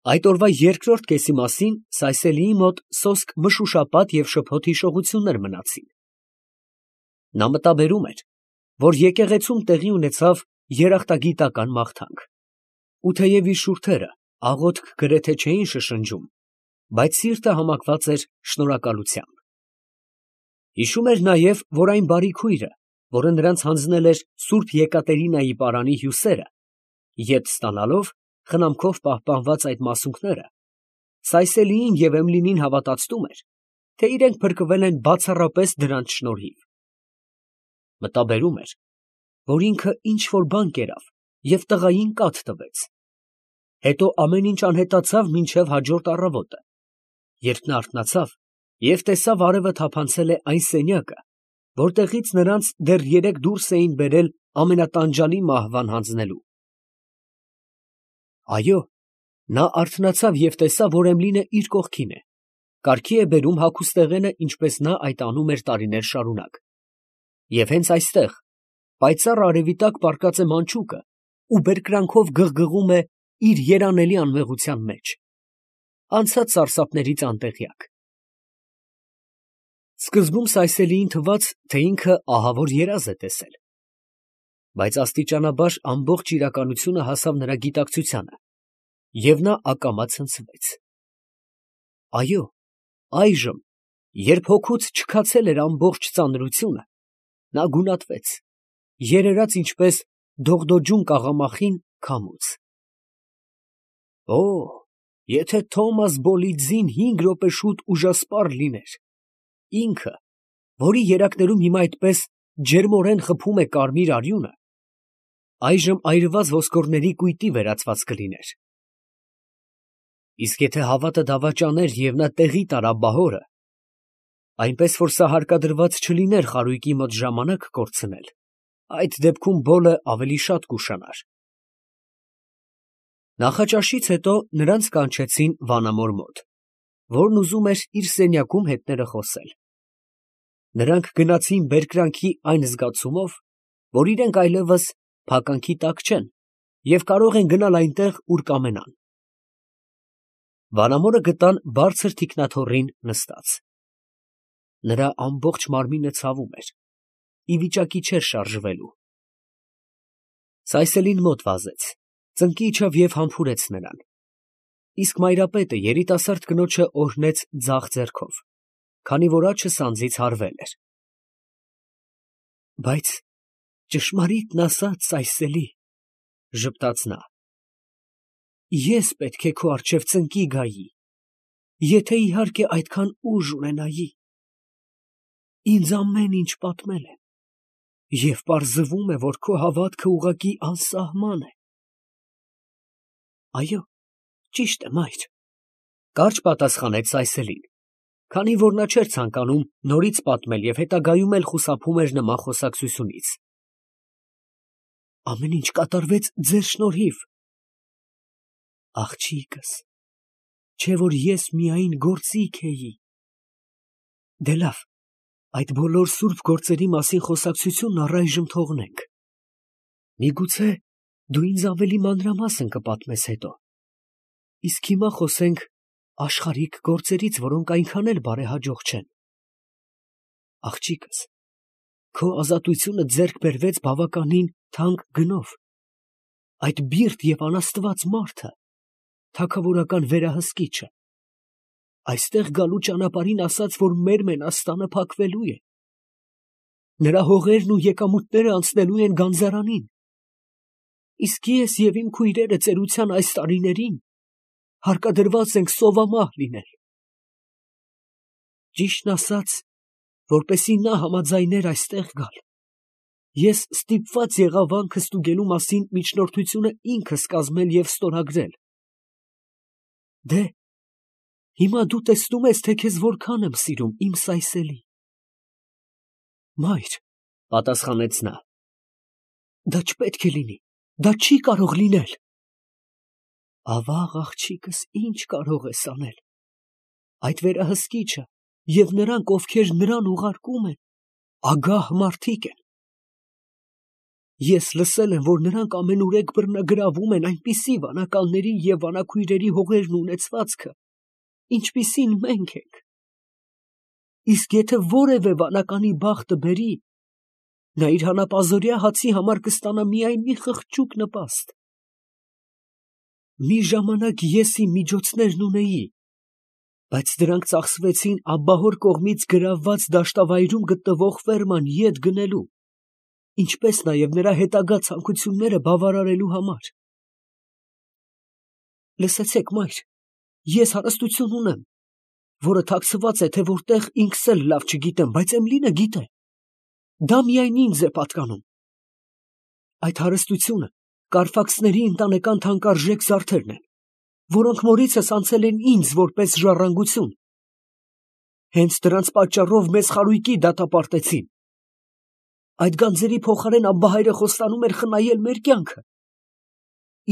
Այդ օրվա երկրորդ կեսի մասին Սայսելիի մոտ սոսկ մշուշապատ և շփոթ հիշողություններ մնացին. նա մտաբերում էր, որ եկեղեցում տեղի ունեցավ երախտագիտական մաղթանք, ու թեև իր շուրթերը աղոթք գրեթե չէին շշնջում, բայց սիրտը համակված էր շնորհակալությամբ։ Հիշում էր նաև, որ այն բարի քույրը, որը նրանց հանձնել էր Սուրբ Եկատերինայի պարանի հյուսերը, ետ ստանալով խնամքով պահպանված այդ մասունքները, Սայսելիին և Էմլինին հավատացնում էր, թե իրենք փրկվել են բացառապես դրանց շնորհիվ։ Մտաբերում էր, որ ինքը ինչ֊որ բան կերավ և տղային կաթ տվեց, հետո ամեն ինչ անհետացավ մինչև հաջորդ առավոտը, երբ նա արթնացավ և տեսավ արևը թափանցել է այն սենյակը, որտեղից նրանց դեռ երեկ դուրս էին բերել ամենատանջալի մահվան հանձնելու։ Այո, նա արթնացավ և տեսավ, որ Էմլինը իր կողքին է, կարգի է բերում հագուստեղենը, ինչպես նա այդ անում էր տարիներ շարունակ, և հենց այստեղ, պայծառ արևի տակ պառկած է մանչուկը ու բերկրանքով գղգղում է իր երանելի անմեղության մեջ, անցած սարսափներից անտեղյակ։ Սկզբում Սայսելիին թվաց, թե ինքը ահավոր երազ է տեսել, բայց աստիճանաբար ամբողջ իրականությունը հասավ նրա գիտակցությանը, և նա ակամա ցնցվեց։ Այո, այժմ, երբ հոգուց չքացել էր ամբողջ ծանրությունը, նա գունատվեց, երերաց ինչպես դողդոջուն կաղամախին քամուց։ Օ, եթե Թոմաս Բոլիձին 5 րոպե շուտ ուժասպառ լիներ, ինքը, որի երակներում հիմա այդպես ջերմորեն խփում է կարմիր արյունը, այժմ այրված ոսկորների կույտի վերածված կլիներ։ Իսկ եթե հավատը դավաճաներ և նա տեղի տարա բահորը, այնպես որ սա հարկադրված չլիներ խարույկի մոտ ժամանակ կորցնել, այդ դեպքում Բոլը ավելի շատ կուշանար։ Նախաճաշից հետո նրանց կանչեցին վանամոր մոտ, որն ուզում էր իր սենյակում հետները խոսել։ Նրանք գնացին բերկրանքի այն զգացումով, որ իրենք այլևս փականքի տակ չեն և կարող են գնալ այնտեղ, ուր կամենան։ Վանամորը գտան բարձր թիկնաթոռին նստած։ Նրա ամբողջ մարմինը ցավում էր, ի վիճակի չէր շարժվելու։ Սայսելին մոտ վազեց, ծնկի իջավ և համբուրեց նրան, իսկ մայրապետը երիտասարդ կնոջը օրհնեց ձախ ձեռքով, քանի որ աջը սանձից հարվել էր։ Բայց ճշմարիտն ասած, Սայսելի, ֊ ժպտաց նա, ֊ ես պետք է քո առջև ծնկի գայի, եթե իհարկե այդքան ուժ ունենայի։ Ինձ ամեն ինչ պատմել են, և պարզվում է, որ քո հավատքը ուղղակի անսահման է։ Այո, ճիշտ է, մայր, ֊ կարճ պատասխանեց Սայսելին, քանի որ նա չէր ցանկանում նորից պատմել և հետագայում էլ խուսափում էր նման խոսակցությունից։ Ամեն ինչ կատարվեց ձեր շնորհիվ։ Աղջիկս, չէ՞ որ ես միայն գործիք էի։ Դե լավ, այդ բոլոր սուրբ գործերի մասին խոսակցությունն առայժմ թողնենք. միգուցե դու ինձ ավելի մանրամասն կպատմես հետո, իսկ հիմա խոսենք աշխարհիկ գործերից, որոնք այնքան էլ բարեհաջող չեն։ Աղջիկս, քո ազատությունը ձեռք բերվեց բավականին թանկ գնով։ Այդ բիրտ և անաստված մարդը, թագավորական վերահսկիչը, այստեղ գալու ճանապարհին ասաց, որ մեր մենաստանը փակվելու է։ Նրա հողերն ու եկամուտները անցնելու են գանձարանին, իսկ ես և իմ քույրերը ծերության այս տարիներին հարկադրված ենք սովամահ լինել։ Ճիշտն ասած, որպեսզի նա համաձայներ այստեղ գալ, ես ստիպված եղա վանքը ստուգելու մասին միջնորդությունը ինքս կազմել և ստորագրել։ Դե, հիմա դու տեսնում ես, թե քեզ որքան եմ սիրում, իմ Սայսելի։ Մայր, ֊ պատասխանեց նա, ֊ դա չպետք է լինի, դա չի կարող լինել։ Ավաղ, աղջիկս, ինչ կարող ես անել։ Այդ վերահսկիչը և նրանք, ովքեր նրան ուղարկում են, ագահ մարդիկ են։ Ես լսել եմ, որ նրանք ամենուրեք բռնագրավում են այնպիսի վանականների և վանաքույրերի հողերն ու ունեցվածքը, ինչպիսին մենք ենք. իսկ եթե որևէ վանականի բախտը բերի, նա իր հանապազօրյա հացի համար կստանա միայն մի խղճուկ նպաստ։ Մի ժամանակ ես իմ միջոցներն ունեի, բայց դրանք ծախսվեցին աբբահոր կողմից գրավված դաշտավայրում գտնվող ֆերման ետ գնելու, ինչպես նաև նրա հետագա ցանկությունները բավարարելու համար։ Լսեցեք, մայր, ես հարստություն ունեմ, որը թաքցված է, թե որտեղ ինքս էլ լավ չգիտեմ, բայց Էմլինը գիտե։ Դա միայն ինձ է պատկանում։ Այդ հարստությունը Կարֆաքսների ընտանեկան թանկարժեք զարդերն են, որոնք մորիցս անցել են ինձ որպես ժառանգություն։ Հենց դրանց պատճառով մեզ խարույկի դատապարտեցին։ Այդ գանձերի փոխարեն Աբբահայրը խոստանում էր խնայել մեր կյանքը։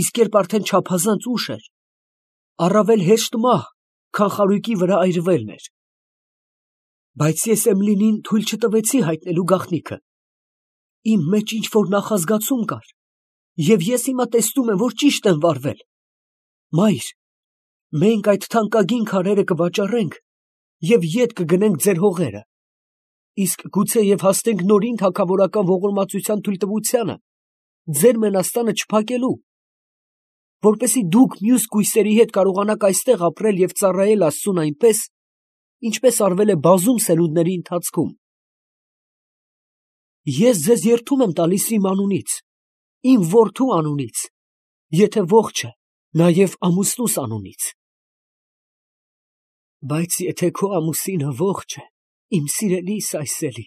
Իսկ երբ արդեն չափազանց ուշ էր, առավել հեշտ մահ, քան խարույկի վրա այրվելն էր։ Բայց ես Էմլինին թույլ չտվեցի հայտնելու գաղտնիքը։ Իմ մեջ ինչ-որ նախազգացում կար, և ես հիմա տեսնում եմ, որ ճիշտ եմ վարվել։ Մայր, մենք այդ թանկագին քարերը կվաճառենք և ետ կգնենք ձեր հողերը, իսկ գուցեև հասնենք նորին թագավորական ողորմածության թույլտվությանը ձեր մենաստանը չփակելու, որպեսզի դուք մյուս կույսերի հետ կարողանաք այստեղ ապրել և ծառայել Աստծուն այնպես, ինչպես արվել է բազում սերունդների ընթացքում։ Ես ձեզ երդում եմ տալիս իմ անունից, իմ որդու անունից, եթե ողջ է, նաև ամուսնուս անունից։ Բայց եթե քո ամուսինը ողջ է, իմ սիրելի Սայսելի,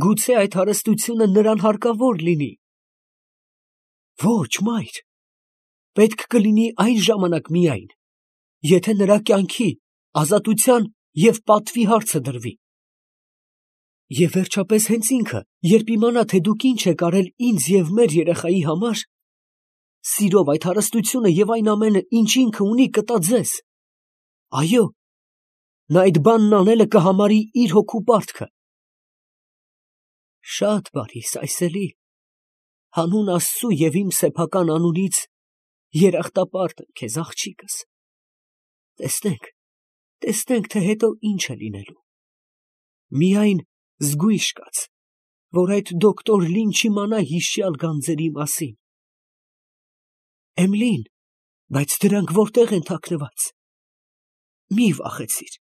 գուցե այդ հարստությունը նրան հարկավոր լինի։ Ոչ, մայր, պետք կլինի այն ժամանակ միայն, եթե նրա կյանքի, ազատության և պատվի հարցը դրվի։ Եվ վերջապես հենց ինքը, երբ իմանա, թե դուք ինչ եք արել ինձ և մեր երեխայի համար, սիրով այդ հարստությունը և այն ամենը, ինչ ինքը ունի, կտա ձեզ։ Այո, նա այդ բանն անելը կհամարի իր հոգու պարտքը։ Շատ բարի, Սայսելի, հանուն Աստծու և իմ սեփական անունից երախտապարտ եմ քեզ, աղջիկս։ Տեսնենք, թե հետո ինչ է լինելու։ Միայն զգույշ կաց, որ այդ դոկտոր Լին չիմանա հիշյալ գանձերի մասին։ Էմլին, բայց դրանք որտե՞ղ են թաքնված։ Մի վախեցիր,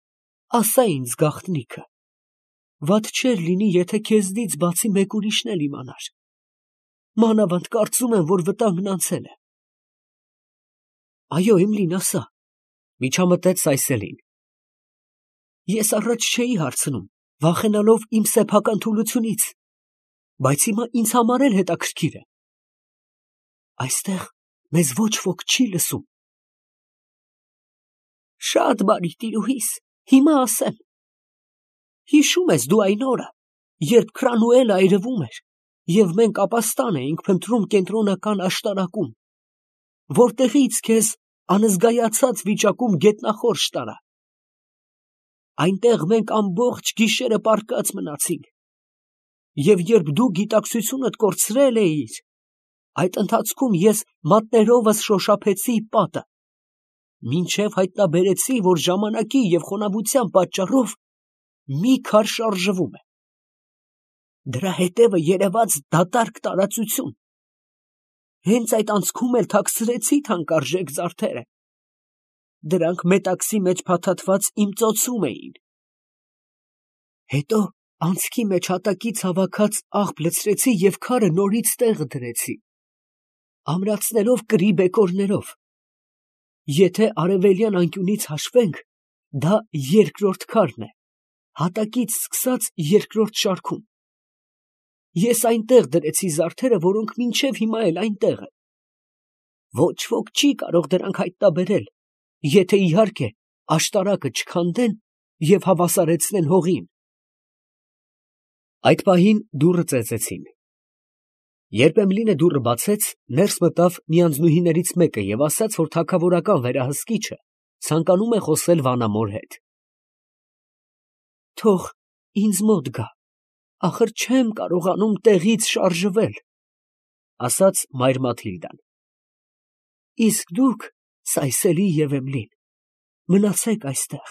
ասա ինձ գաղտնիքը։ Վատ չէր լինի, եթե քեզնից բացի մեկ ուրիշն էլ իմանար։ Մանավանդ կարծում եմ, որ վտանգն անցել է։ Այո, Էմլին, ասա, միջամտեց Սայսելին։ Ես առաջ չէի հարցնում, վախենալով իմ սեփական թուլությունից, բայց հիմա ինձ համար էլ հետաքրքիր է։ Այստեղ մեզ ոչ ոք չի լսում։ Շատ բարի, տիրուհիս, հիմա ասեմ։ Հիշո՞ւմ ես դու այն օրը, երբ Քրանուելը այրվում էր, և մենք ապաստան էինք փնտրում կենտրոնական աշտարակում, որտեղից քեզ անզգայացած վիճակում գետնախորշ տարա։ Այնտեղ մենք ամբողջ գիշերը պառկած մնացինք, և երբ դու գիտակցությունդ կորցրել էիր, այդ ընթացքում ես մատներովս շոշափեցի պատը, մինչև հայտնաբերեցի, որ ժամանակի և խոնավության պատճառով մի քար շարժվում է։ Դրա հետևը երևաց դատարկ տարածություն։ Հենց այդ անցքում էլ թաքցրեցի թանկարժեք զարդերը։ Դրանք մետաքսի մեջ փաթաթված իմ ծոցում էին։ Հետո անցքի մեջ հատակից հավաքած աղբ լցրեցի և քարը նորից տեղը դրեցի, ամրացնելով կրի բեկորներով։ Եթե արևելյան անկյունից հաշվենք, դա երկրորդ քարն է, հատակից սկսած երկրորդ շարքում։ Ես այնտեղ դրեցի զարդերը, որոնք մինչև հիմա էլ այնտեղ են։ Ոչ ոք չի կարող դրանք հայտնաբերել, եթե իհարկե աշտարակը չքանդեն և հավասարեցնեն հողին։ Այդ պահին դուռը ծեծեցին։ Երբ Էմլինը դուռը բացեց, ներս մտավ մի անձնուհիներից մեկը և ասաց, որ թագավորական վերահսկիչը ցանկանում է խոսել վանամոր հետ։ Թող ինձ մոտ գա, ախր չեմ կարողանում տեղից շարժվել։ ասաց մայր Մաթիլդան։ Իսկ դուք, Սայսելի և Էմլին, մնացեք այստեղ.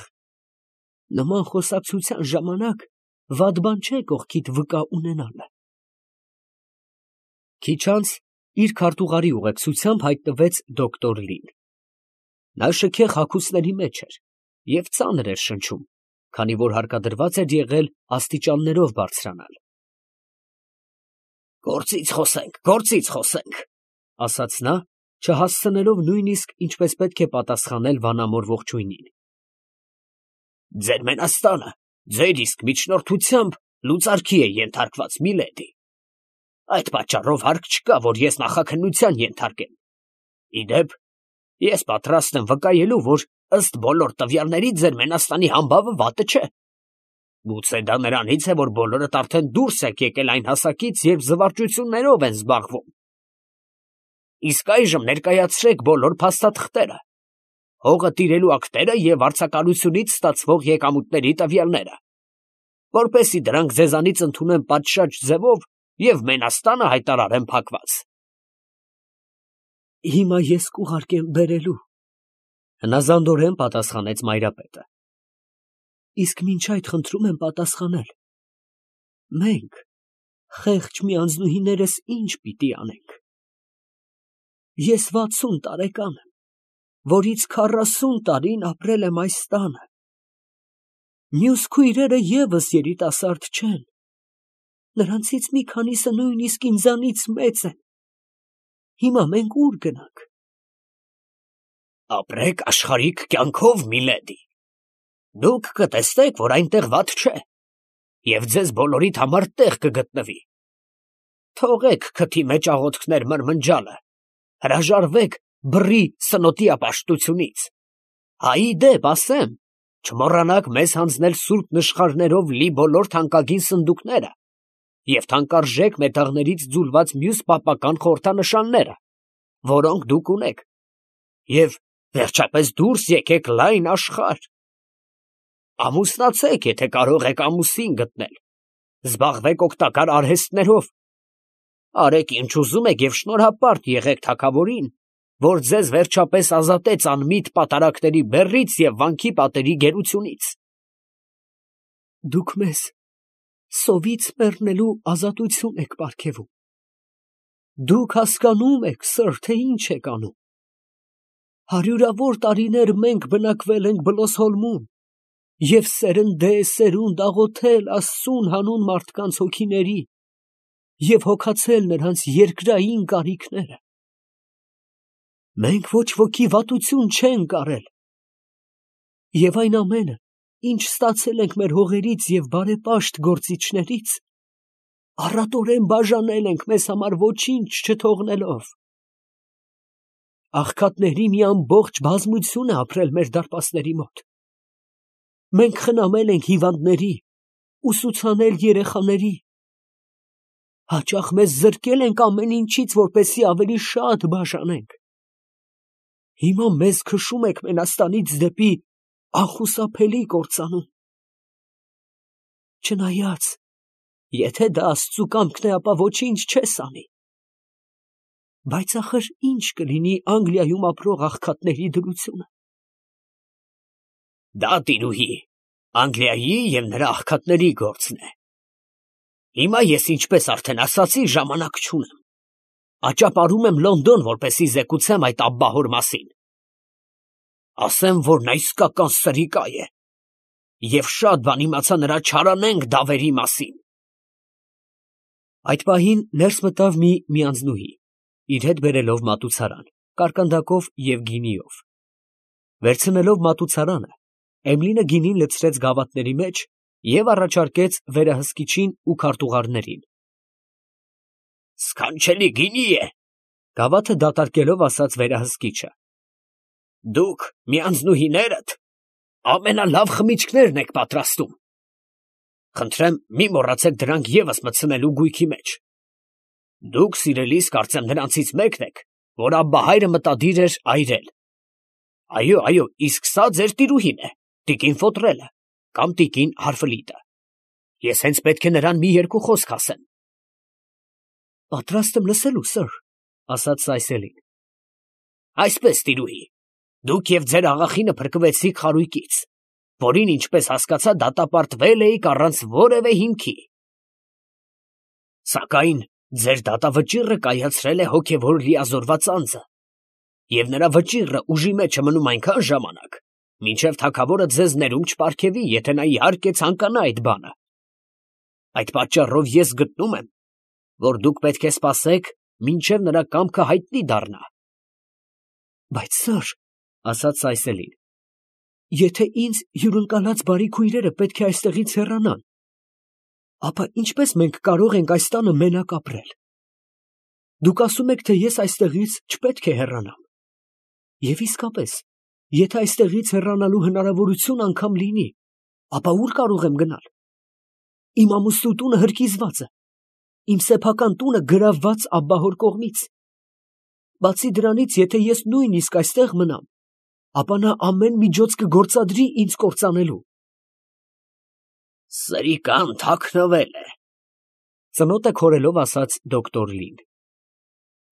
նման խոսակցության ժամանակ վատ բան չէ կողքիդ վկա ունենալը։ Քիչ անց իր քարտուղարի ուղեկցությամբ հայտնվեց դոկտոր Լին։ Նա շքեղ հագուստների մեջ էր և ծանր էր շնչում, քանի որ հարկադրված էր եղել աստիճաններով բարձրանալ։ Գործից խոսենք, ասաց նա, չհասցնելով նույնիսկ ինչպես պետք է պատասխանել վանամոր ողջույնին։ Ձեր մենաստանը ձեր իսկ միջնորդությամբ լուծարքի է ենթարկված, միլեդի։ Այդ պատճառով հարկ չկա, որ ես նախաքննության ենթարկեմ։ Ի դեպ, ես պատրաստ եմ վկայելու, որ ըստ բոլոր տվյալների ձեր մենաստանի համբավը վատը չէ։ Գուցե դա նրանից է, որ բոլորդ արդեն դուրս եք եկել այն հասակից, երբ զվարճություններով են զբաղվում։ Իսկ այժմ ներկայացրեք բոլոր փաստաթղթերը, հողը տիրելու ակտերը և վարձակալությունից ստացվող եկամուտների տվյալները, որպեսզի դրանք ձեզանից ընդունեմ պատշաճ ձևով և մենաստանը հայտարարեմ փակված։ Հիմա ես կուղարկեմ բերելու, հնազանդորեն պատասխանեց մայրապետը։ Իսկ մինչ այդ խնդրում եմ պատասխանել. մենք, խեղճ միանձնուհիներս, ինչ պիտի անենք։ Ես 60 տարեկան եմ, որից 40 տարին ապրել եմ այս տանը։ Մյուս քույրերը ևս երիտասարդ չեն, նրանցից մի քանիսը նույնիսկ ինձանից մեծ են։ Հիմա մենք ուր գնանք։ Ապրեք աշխարհիկ կյանքով, միլեդի։ Դուք կտեսնեք, որ այնտեղ վատ չէ, և ձեզ բոլորիդ համար տեղ կգտնվի։ Թողեք քթի մեջ աղոթքներ մրմնջալը, հրաժարվեք բռի սնոտի ապաշտությունից։ Ի դեպ ասեմ, չմոռանաք մեզ հանձնել սուրբ նշխարներով լի բոլոր թանկագին սնդուկները և թանկարժեք մետաղներից ձուլված մյուս պապական խորհրդանշանները, որոնք դուք ունեք, և վերջապես դուրս եկեք լայն աշխարհ։ Ամուսնացեք, եթե կարող եք ամուսին գտնել, զբաղվեք օգտակար արհեստներով, արեք ինչ ուզում եք և շնորհապարտ եղեք թագավորին, որ ձեզ վերջապես ազատեց անմիտ պատարագների բեռից և վանքի պատերի գերությունից։ Դուք մեզ սովից մեռնելու ազատություն եք պարգևում։ Դուք հասկանում եք, սըր, թե ինչ եք անում։ Հարյուրավոր տարիներ մենք բնակվել ենք Բլոսհոլմում և սերնդե աղոթել Աստծուն հանուն մարդկանց հոգիների և հոգացել նրանց երկրային կարիքները։ Մենք ոչ ոքի վատություն չենք արել, և այն ամենը, ինչ ստացել ենք մեր հողերից և բարեպաշտ գործիչներից, առատորեն բաժանել ենք մեզ համար ոչինչ չթողնելով։ Աղքատների մի ամբողջ բազմություն է ապրել մեր դարպասների մոտ։ Մենք խնամել ենք հիվանդների, ուսուցանել երեխաների, հաճախ մեզ զրկել ենք ամեն ինչից, որպեսզի ավելի շատ բաժանենք։ Հիմա մեզ քշում եք մենաստանից դեպի անխուսափելի կործանում։ Չնայած, եթե դա Աստծու կամքն է, ապա ոչինչ չես անի։ Բայց ախր ի՞նչ կլինի Անգլիայում ապրող աղքատների դրությունը։ Դա, տիրուհի, Անգլիայի և նրա աղքատների գործն է։ Հիմա ես, ինչպես արդեն ասացի, ժամանակ չունեմ։ Աճապարում եմ Լոնդոն, որպեսզի զեկուցեմ այդ աբբահոր մասին։ Ասեմ, որ նա իսկական սրիկա է, և շատ բան իմացա նրա չարանենգ դավերի մասին։ Այդ պահին ներս մտավ մի միանձնուհի, իր հետ բերելով մատուցարան, կարկանդակով և գինիով։ Վերցնելով մատուցարանը, Էմլինը գինին լցրեց գավաթների մեջ և առաջարկեց վերահսկիչին ու քարտուղարներին։ Սքանչելի գինի է, գավաթը դատարկելով ասաց վերահսկիչը։ Դուք, միանձնուհիներդ, ամենալավ խմիչքներն եք պատրաստում։ Խնդրեմ, մի մոռացեք դրանք ևս մտցնելու գույքի մեջ։ Դուք, սիրելիս, կարծեմ նրանցից մեկն եք, որ աբբահայրը մտադիր էր այրել։ Այո, իսկ սա ձեր տիրուհին է, տիկին Ֆոտրելը, կամ տիկին Հարֆլիտը։ Ես հենց պետք է նրան մի երկու խոսք ասեմ։ Պատրաստ եմ լսելու, սըր, ասաց Սայսելին։ Այսպես, տիրուհի, դուք և ձեր աղախինը փրկվեցիք խարույկից, որին, ինչպես հասկացա, դատապարտվել էիք առանց որևէ հիմքի։ Սակայն ձեր դատավճիռը կայացրել է հոգևոր լիազորված անձը, և նրա վճիռը ուժի մեջ է մնում այնքան ժամանակ, մինչև թագավորը ձեզ ներում չպարգևի, եթե նա իհարկե ցանկանա այդ բանը։ Այդ պատճառով ես գտնում եմ, որ դուք պետք է սպասեք, մինչև նրա կամքը հայտնի դառնա։ Բայց սըր, ասաց Սայսելին, եթե ինձ հյուրընկալած բարի քույրերը պետք է այստեղից հեռանան, ապա ինչպես մենք կարող ենք այս տանը մենակ ապրել։ Դուք ասում եք, թե ես այստեղից չպետք է հեռանամ։ Եվ իսկապես, եթե այստեղից հեռանալու հնարավորություն անգամ լինի, ապա ուր կարող եմ գնալ։ Իմ ամուսնու տունը հրկիզված է, իմ սեփական տունը գրավված աբբահոր կողմից։ Բացի դրանից, եթե ես նույնիսկ այստեղ մնամ, ապա նա ամեն միջոց կգործադրի ինձ կործանելու։ Սրիկան թաքնվել է, ծնոտը քորելով ասաց դոկտոր Լին։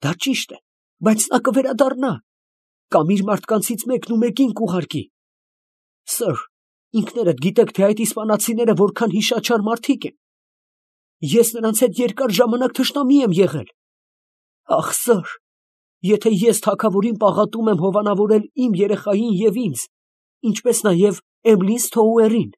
Դա ճիշտ է, բայց նա կվերադառնա, կամ իր մարդկանցից մեկն ու մեկին կուղարկի։ Սըր, ինքներդ գիտեք, թե այդ իսպանացիները որքան հիշաչար մարդիկ են։ Ես նրանց հետ երկար ժամանակ թշնամի եմ եղել։ Ախ, սըր, եթե ես թագավորին պաղատում եմ հովանավորել իմ երեխային և ինձ, ինչպես նաև Էմլին Սթոուերին,